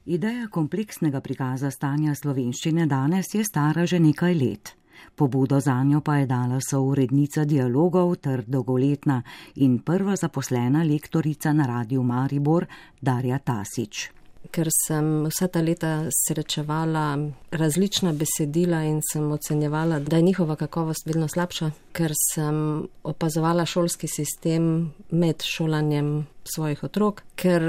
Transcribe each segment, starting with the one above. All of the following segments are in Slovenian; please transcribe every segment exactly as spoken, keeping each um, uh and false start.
Ideja kompleksnega prikaza stanja slovenščine danes je stara že nekaj let. Pobudo zanjo pa je dala sourednica dialogov ter dolgoletna in prva zaposlena lektorica na Radiu Maribor Darja Tasić. Ker sem vsa ta leta srečevala različna besedila in sem ocenjevala, da je njihova kakovost vedno slabša, ker sem opazovala šolski sistem med šolanjem svojih otrok, ker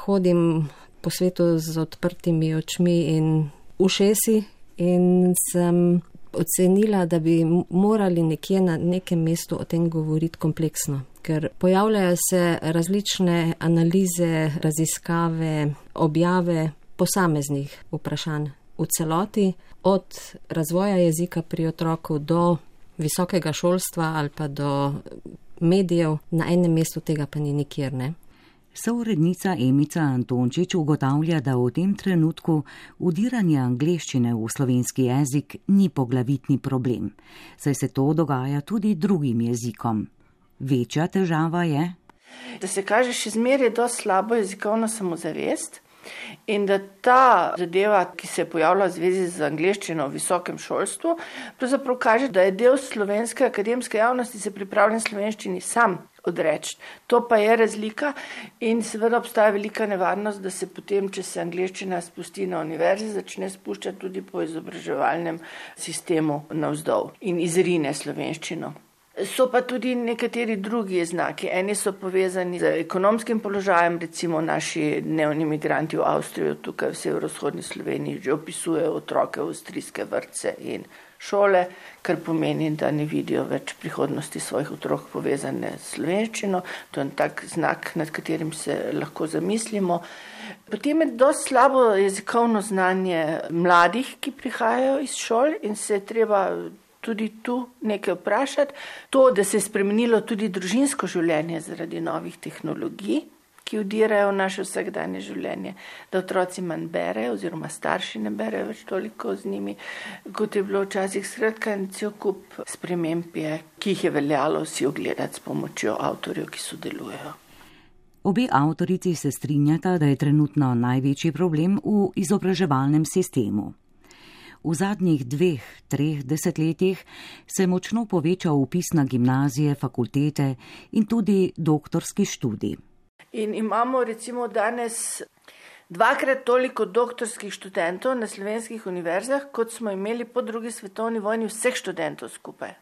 hodim po svetu z odprtimi očmi in ušesi in sem ocenila, da bi morali nekje na nekem mestu o tem govoriti kompleksno. Ker pojavljajo se različne analize, raziskave, objave posameznih vprašanj v celoti, od razvoja jezika pri otroku do visokega šolstva ali pa do medijev, na enem mestu tega pa ni nikjer, ne. Sourednica Emica Antončič ugotavlja, da v tem trenutku vdiranje angleščine v slovenski jezik ni poglavitni problem, saj se to dogaja tudi drugim jezikom. Večja težava je, da se kaže še zmeraj dosti slabo jezikovno samozavest in da ta zadeva, ki se je pojavila v zvezi z angleščino v visokem šolstvu, pravzaprav kaže, da je del slovenske akademske javnosti se pripravljen slovenščini sam odreči. To pa je razlika in seveda obstaja velika nevarnost, da se potem, če se angleščina spusti na univerzi, začne spuščati tudi po izobraževalnem sistemu navzdol in izrine slovenščino. So pa tudi nekateri drugi znaki. Eni so povezani z ekonomskim položajem, recimo naši dnevni migranti v Avstriji, tukaj v severovzhodni Sloveniji, že opisujejo otroke v avstrijske vrtce in šole, kar pomeni, da ne vidijo več prihodnosti svojih otrok povezane s slovenščino. To je tak znak, nad katerim se lahko zamislimo. Potem je dosti slabo jezikovno znanje mladih, ki prihajajo iz šol in se je treba tudi tu nekaj vprašati. To, da se je spremenilo tudi družinsko življenje zaradi novih tehnologij, ki vdirajo v naše vsakdanje življenje, da otroci manj berejo oziroma starši ne berejo več toliko z njimi, kot je bilo včasih. Skratka, cel kup sprememb je, ki jih je veljalo si ogledati s pomočjo avtorjev, ki sodelujejo. Obe avtorici se strinjata, da je trenutno največji problem v izobraževalnem sistemu. V zadnjih dveh, treh desetletjih se je močno povečal vpis na gimnazije, fakultete in tudi doktorski študij. In imamo recimo danes dvakrat toliko doktorskih študentov na slovenskih univerzah, kot smo imeli po drugi svetovni vojni vseh študentov skupaj.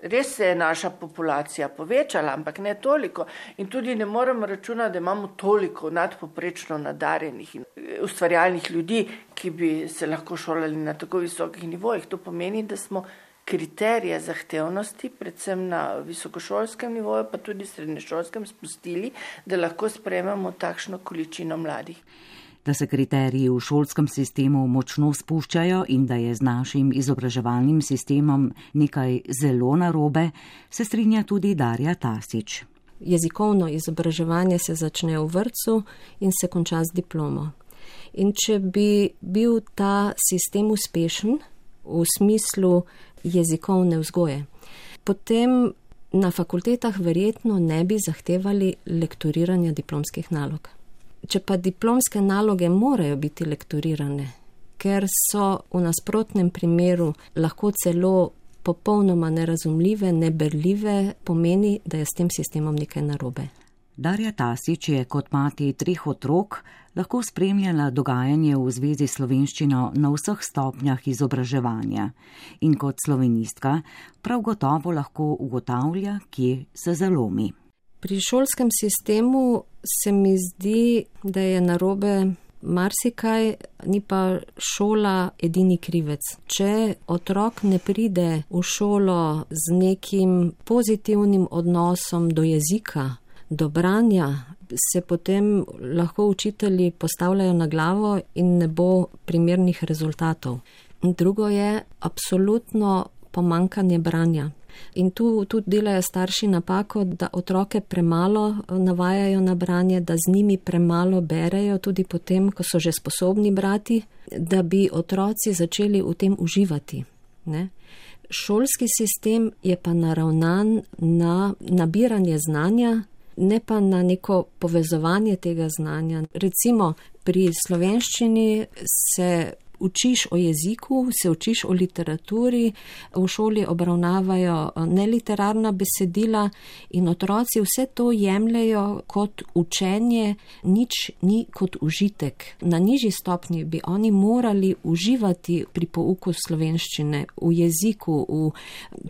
Res se je naša populacija povečala, ampak ne toliko. In tudi ne moremo računati, da imamo toliko nadpoprečno nadarjenih in ustvarjalnih ljudi, ki bi se lahko šolali na tako visokih nivojih. To pomeni, da smo kriterije zahtevnosti, predvsem na visokošolskem nivoju, pa tudi srednješolskem, spustili, da lahko sprejmemo takšno količino mladih. Da se kriteriji v šolskem sistemu močno spuščajo in da je z našim izobraževalnim sistemom nekaj zelo narobe, se strinja tudi Darja Tasić. Jezikovno izobraževanje se začne v vrtcu in se konča z diplomo. In če bi bil ta sistem uspešen v smislu jezikovne vzgoje, potem na fakultetah verjetno ne bi zahtevali lektoriranja diplomskih nalog. Če pa diplomske naloge morajo biti lektorirane, ker so v nasprotnem primeru lahko celo popolnoma nerazumljive, neberljive, pomeni, da je s tem sistemom nekaj narobe. Darja Tasić je kot mati treh otrok lahko spremljala dogajanje v zvezi s slovenščino na vseh stopnjah izobraževanja in kot slovenistka prav gotovo lahko ugotavlja, kje se zalomi. Pri šolskem sistemu se mi zdi, da je narobe marsikaj, ni pa šola edini krivec. Če otrok ne pride v šolo z nekim pozitivnim odnosom do jezika, do branja, se potem lahko učitelji postavljajo na glavo in ne bo primernih rezultatov. Drugo je absolutno pomanjkanje branja. In tu tudi delajo starši napako, da otroke premalo navajajo na branje, da z njimi premalo berejo, tudi potem, ko so že sposobni brati, da bi otroci začeli v tem uživati. Ne? Šolski sistem je pa naravnan na nabiranje znanja, ne pa na neko povezovanje tega znanja. Recimo pri slovenščini se učiš o jeziku, se učiš o literaturi, v šoli obravnavajo neliterarna besedila in otroci vse to jemljajo kot učenje, nič ni kot užitek. Na nižji stopnji bi oni morali uživati pri pouku slovenščine, v jeziku, v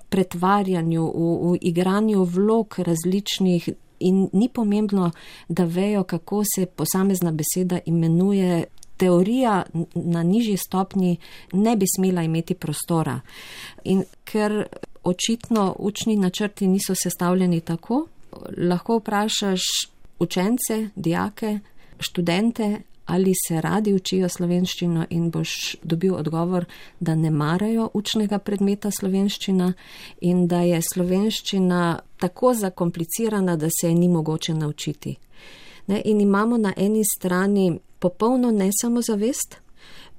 pretvarjanju, v, v igranju vlog različnih. In ni pomembno, da vejo, kako se posamezna beseda imenuje. Teorija na nižji stopnji ne bi smela imeti prostora. In ker očitno učni načrti niso sestavljeni tako, lahko vprašaš učence, dijake, študente, ali se radi učijo slovenščino in boš dobil odgovor, da ne marajo učnega predmeta slovenščina in da je slovenščina tako zakomplicirana, da se je ni mogoče naučiti. Ne, in imamo na eni strani popolno nesamozavest,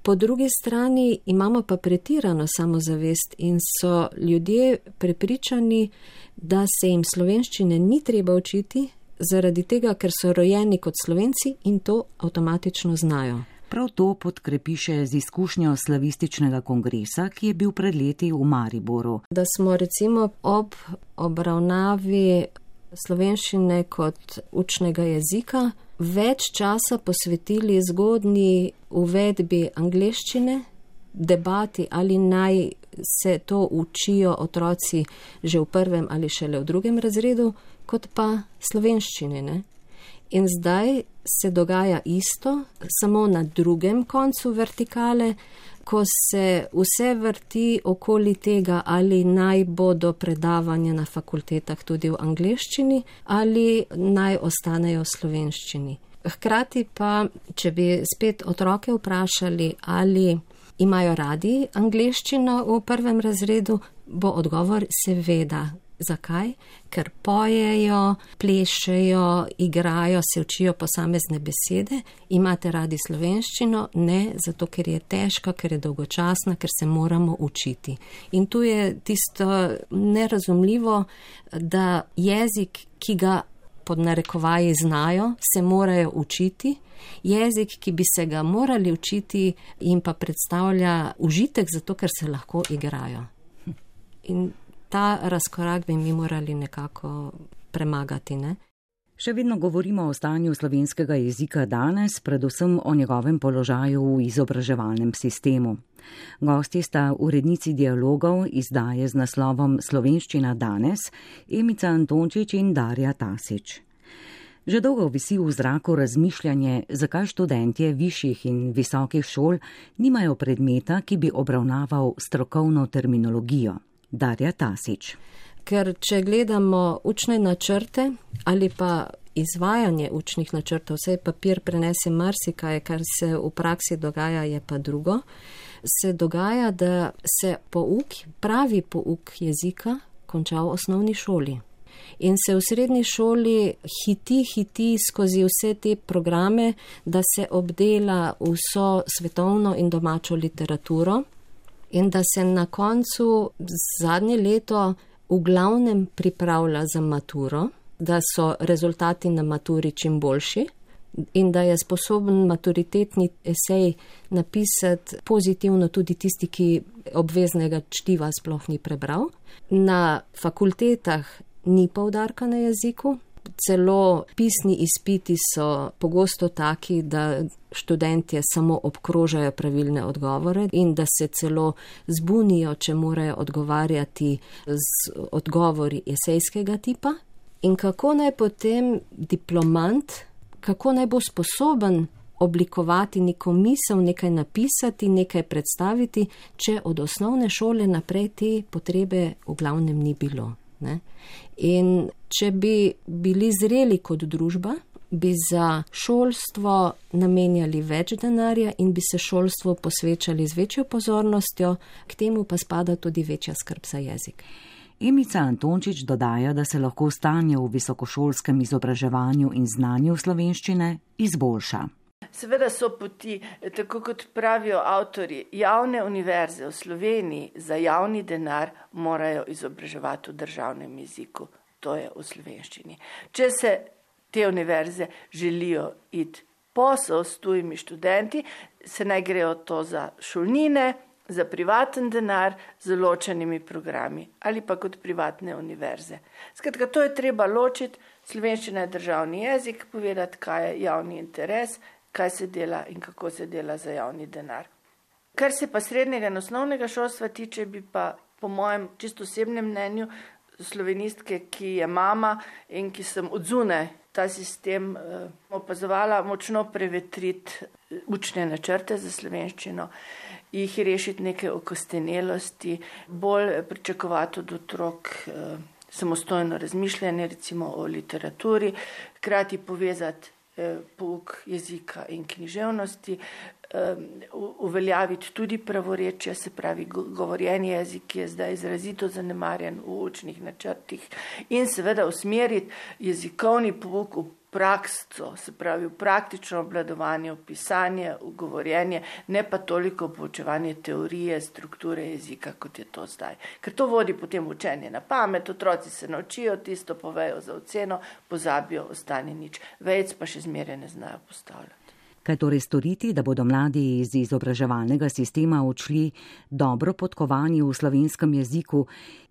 po drugi strani imamo pa pretirano samozavest in so ljudje prepričani, da se jim slovenščine ni treba učiti, zaradi tega, ker so rojeni kot Slovenci in to avtomatično znajo. Prav to podkrepi še z izkušnjo slavističnega kongresa, ki je bil pred leti v Mariboru. Da smo recimo ob obravnavi slovenščine kot učnega jezika več časa posvetili zgodnji uvedbi angleščine, debati, ali naj se to učijo otroci že v prvem ali šele v drugem razredu, kot pa slovenščine. Ne? In zdaj se dogaja isto, samo na drugem koncu vertikale, ko se vse vrti okoli tega, ali naj bodo predavanja na fakultetah tudi v angleščini, ali naj ostanejo v slovenščini. Hkrati pa, če bi spet otroke vprašali, ali imajo radi angleščino v prvem razredu, bo odgovor seveda. Zakaj? Ker pojejo, plešejo, igrajo, se učijo posamezne besede. Imate radi slovenščino? Ne, zato ker je težka, ker je dolgočasna, ker se moramo učiti. In tu je tisto nerazumljivo, da jezik, ki ga pod narekovaji znajo, se morajo učiti. Jezik, ki bi se ga morali učiti, jim pa predstavlja užitek, zato ker se lahko igrajo. In ta razkorak bi mi morali nekako premagati, ne? Še vedno govorimo o stanju slovenskega jezika danes, predvsem o njegovem položaju v izobraževalnem sistemu. Gosti sta urednici dialogov izdaje z naslovom Slovenščina danes, Emica Antončič in Darja Tasič. Že dolgo visi v zraku razmišljanje, zakaj študentje višjih in visokih šol nimajo predmeta, ki bi obravnaval strokovno terminologijo. Darja Tasič. Ker če gledamo učne načrte ali pa izvajanje učnih načrtov, vse papir prenese marsikaj, kar se v praksi dogaja, je pa drugo, se dogaja, da se pouk, pravi pouk jezika konča v osnovni šoli. In se v srednji šoli hiti, hiti skozi vse te programe, da se obdela vso svetovno in domačo literaturo. In da se na koncu zadnje leto v glavnem pripravlja za maturo, da so rezultati na maturi čim boljši in da je sposoben maturitetni esej napisati pozitivno tudi tisti, ki obveznega čtiva sploh ni prebral. Na fakultetah ni poudarka na jeziku. Celo pisni izpiti so pogosto taki, da študentje samo obkrožajo pravilne odgovore in da se celo zbunijo, če morajo odgovarjati z odgovori esejskega tipa. In kako naj potem diplomant, kako naj bo sposoben oblikovati neko misel, nekaj napisati, nekaj predstaviti, če od osnovne šole naprej te potrebe v glavnem ni bilo. Ne? In če bi bili zreli kot družba, bi za šolstvo namenjali več denarja in bi se šolstvu posvečali z večjo pozornostjo, k temu pa spada tudi večja skrb za jezik. Emica Antončič dodaja, da se lahko stanje v visokošolskem izobraževanju in znanju slovenščine izboljša. Seveda so poti, tako kot pravijo avtorji, javne univerze v Sloveniji za javni denar morajo izobraževati v državnem jeziku, to je v slovenščini. Če se te univerze želijo iti posel s tujimi študenti, se naj grejo to za šolnine, za privaten denar, z ločenimi programi ali pa kot privatne univerze. Skratka, to je treba ločiti. Slovenščina je državni jezik, povedati, kaj je javni interes, kaj se dela in kako se dela za javni denar. Kar se pa srednjega in osnovnega šolstva tiče, bi pa po mojem čisto osebnem mnenju slovenistke, ki je mama in ki sem odzune ta sistem eh, opazovala, močno prevetriti učne načrte za slovenščino, jih rešiti neke okostenelosti, bolj pričakovati od otrok eh, samostojno razmišljanje, recimo o literaturi, hkrati povezati eh, pouk jezika in književnosti, eh, uveljaviti tudi pravorečje, se pravi govorjeni jezik, ki je zdaj izrazito zanemarjen v učnih načrtih, in seveda usmeriti jezikovni pouk v prakso, se pravi v praktično obvladovanje, v pisanje, v govorjenje, ne pa toliko v poučevanje teorije, strukture jezika, kot je to zdaj. Ker to vodi potem učenje na pamet, otroci se naučijo tisto, povejo za oceno, pozabijo, ostane nič. Vejc pa še zmeraj ne znajo postavljati. Kaj torej storiti, da bodo mladi iz izobraževalnega sistema odšli dobro podkovani v slovenskem jeziku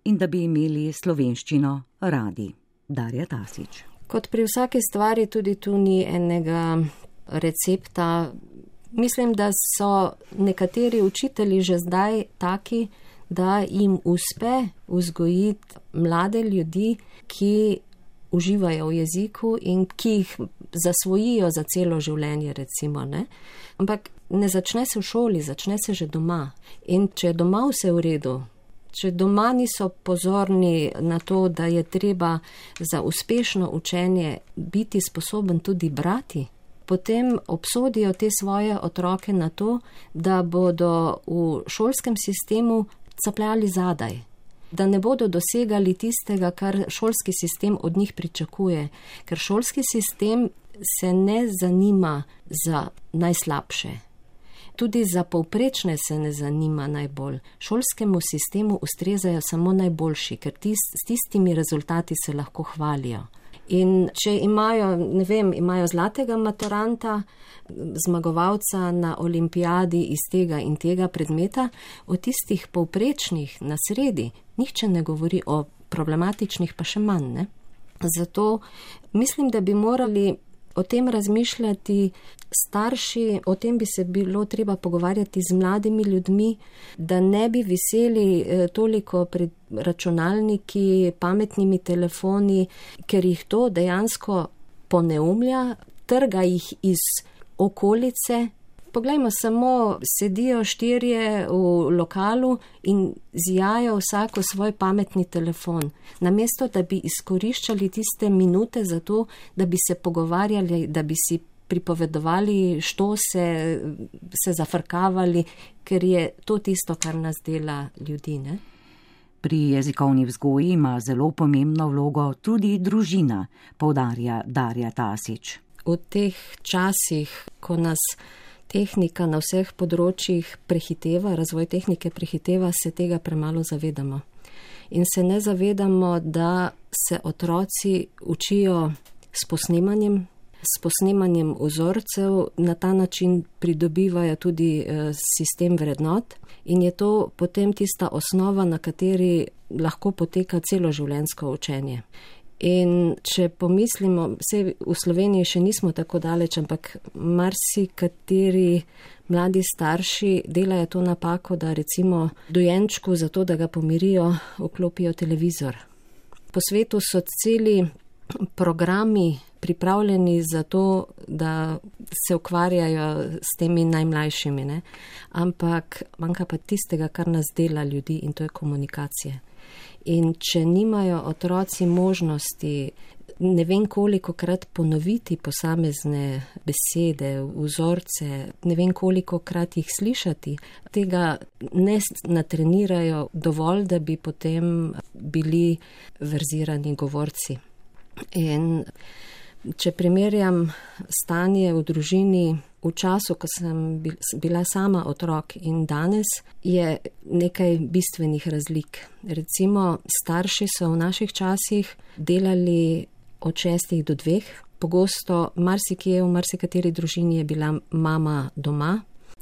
in da bi imeli slovenščino radi? Darja Tasić. Kot pri vsaki stvari tudi tu ni enega recepta. Mislim, da so nekateri učitelji že zdaj taki, da jim uspe vzgojiti mlade ljudi, ki uživajo v jeziku in ki jih zasvojijo za celo življenje, recimo, ne. Ampak ne začne se v šoli, začne se že doma. In če je doma vse v redu, če doma niso pozorni na to, da je treba za uspešno učenje biti sposoben tudi brati, potem obsodijo te svoje otroke na to, da bodo v šolskem sistemu capljali zadaj, da ne bodo dosegali tistega, kar šolski sistem od njih pričakuje, ker šolski sistem se ne zanima za najslabše. Tudi za povprečne se ne zanima najbolj. Šolskemu sistemu ustrezajo samo najboljši, ker tist, s tistimi rezultati se lahko hvalijo. In če imajo, ne vem, imajo zlatega maturanta, zmagovalca na olimpijadi iz tega in tega predmeta, o tistih povprečnih na sredi nihče ne govori, o problematičnih pa še manj, ne? Zato mislim, da bi morali o tem razmišljati starši, o tem bi se bilo treba pogovarjati z mladimi ljudmi, da ne bi viseli toliko pred računalniki, pametnimi telefoni, ker jih to dejansko poneumlja, trga jih iz okolice. Poglejmo, samo sedijo štirje v lokalu in zijajo vsako svoj pametni telefon. Namesto, da bi izkoriščali tiste minute za to, da bi se pogovarjali, da bi si pripovedovali, što se, se zafrkavali, ker je to tisto, kar nas dela ljudi, ne? Pri jezikovni vzgoji ima zelo pomembno vlogo tudi družina, poudarja Darja Tasić. V teh časih, ko nas tehnika na vseh področjih prehiteva, razvoj tehnike prehiteva, se tega premalo zavedamo. In se ne zavedamo, da se otroci učijo s posnemanjem, s posnemanjem vzorcev, na ta način pridobivajo tudi sistem vrednot in je to potem tista osnova, na kateri lahko poteka celoživljenjsko učenje. In če pomislimo, vse v Sloveniji še nismo tako daleč, ampak marsikateri mladi starši delajo to napako, da recimo dojenčku za to, da ga pomirijo, vklopijo televizor. Po svetu so celi programi pripravljeni za to, da se ukvarjajo s temi najmlajšimi, ne? Ampak manjka pa tistega, kar nas dela ljudi, in to je komunikacija. In če nimajo otroci možnosti ne vem koliko krat ponoviti posamezne besede, vzorce, ne vem koliko krat jih slišati, tega ne natrenirajo dovolj, da bi potem bili verzirani govorci. In če primerjam stanje v družini v času, ko sem bila sama otrok in danes, je nekaj bistvenih razlik. Recimo, starši so v naših časih delali od šestih do dveh, pogosto marsikje, v marsikateri družini je bila mama doma.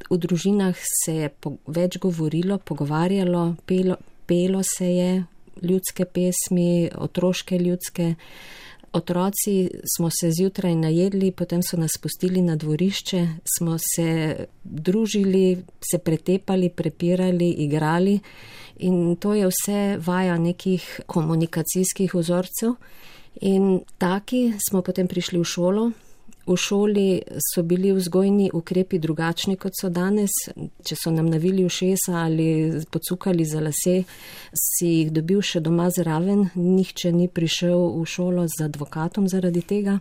V družinah se je več govorilo, pogovarjalo, pelo, pelo se je ljudske pesmi, otroške ljudske. Otroci smo se zjutraj najedli, potem so nas pustili na dvorišče, smo se družili, se pretepali, prepirali, igrali in to je vse vaja nekih komunikacijskih vzorcev. In taki smo potem prišli v šolo. V šoli so bili vzgojni ukrepi drugačni, kot so danes. Če so nam navili ušesa ali pocukali za lase, si jih dobil še doma zraven. Nihče ni prišel v šolo z advokatom zaradi tega.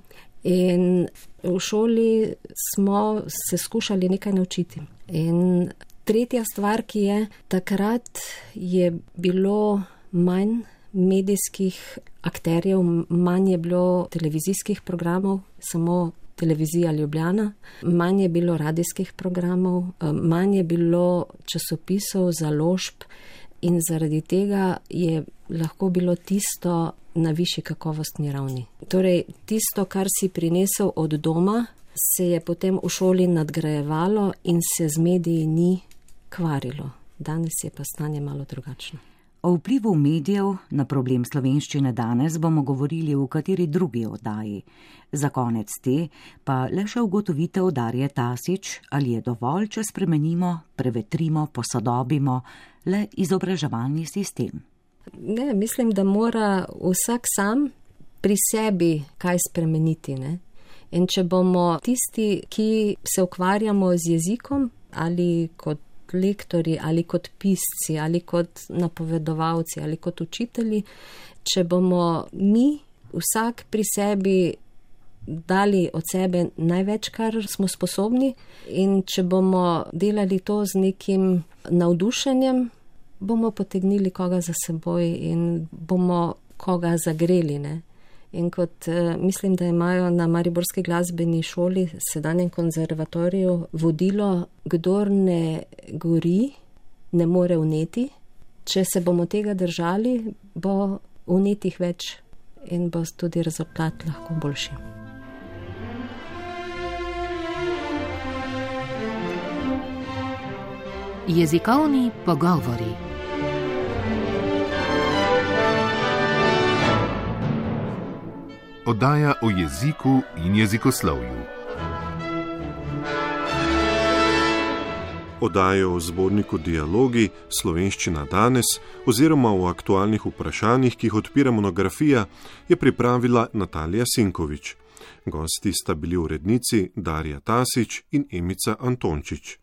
In v šoli smo se skušali nekaj naučiti. In tretja stvar, ki je, takrat je bilo manj medijskih akterjev, manj je bilo televizijskih programov, samo televizija Ljubljana, manj je bilo radijskih programov, manj je bilo časopisov, založb in zaradi tega je lahko bilo tisto na višji kakovostni ravni. Torej, tisto, kar si prinesel od doma, se je potem v šoli nadgrajevalo in se z mediji ni kvarilo. Danes je pa stanje malo drugačno. O vplivu medijev na problem slovenščine danes bomo govorili v kateri drugi oddaji. Za konec te pa le še ugotovitev Darje Tasič, ali je dovolj, če spremenimo, prevetrimo, posodobimo le izobraževalni sistem. Ne, mislim, da mora vsak sam pri sebi kaj spremeniti. Ne? In če bomo tisti, ki se ukvarjamo z jezikom ali kot lektori ali kot pisci ali kot napovedovalci ali kot učitelji, če bomo mi vsak pri sebi dali od sebe največ, kar smo sposobni in če bomo delali to z nekim navdušenjem, bomo potegnili koga za seboj in bomo koga zagreli. Ne? In kot mislim, da imajo na Mariborski glasbeni šoli, sedanjem konzervatoriju, vodilo, kdor ne gori, ne more vneti. Če se bomo tega držali, bo vnetih več in bo tudi rezultat lahko boljši. Jezikovni pogovori. Oddaja o jeziku in jezikoslovju. Oddajo o zborniku Dialogi, Slovenščina danes oziroma o aktualnih vprašanjih, ki jih odpira monografija, je pripravila Natalija Sinkovič. Gosti sta bili urednici Darja Tasič in Emica Antončič.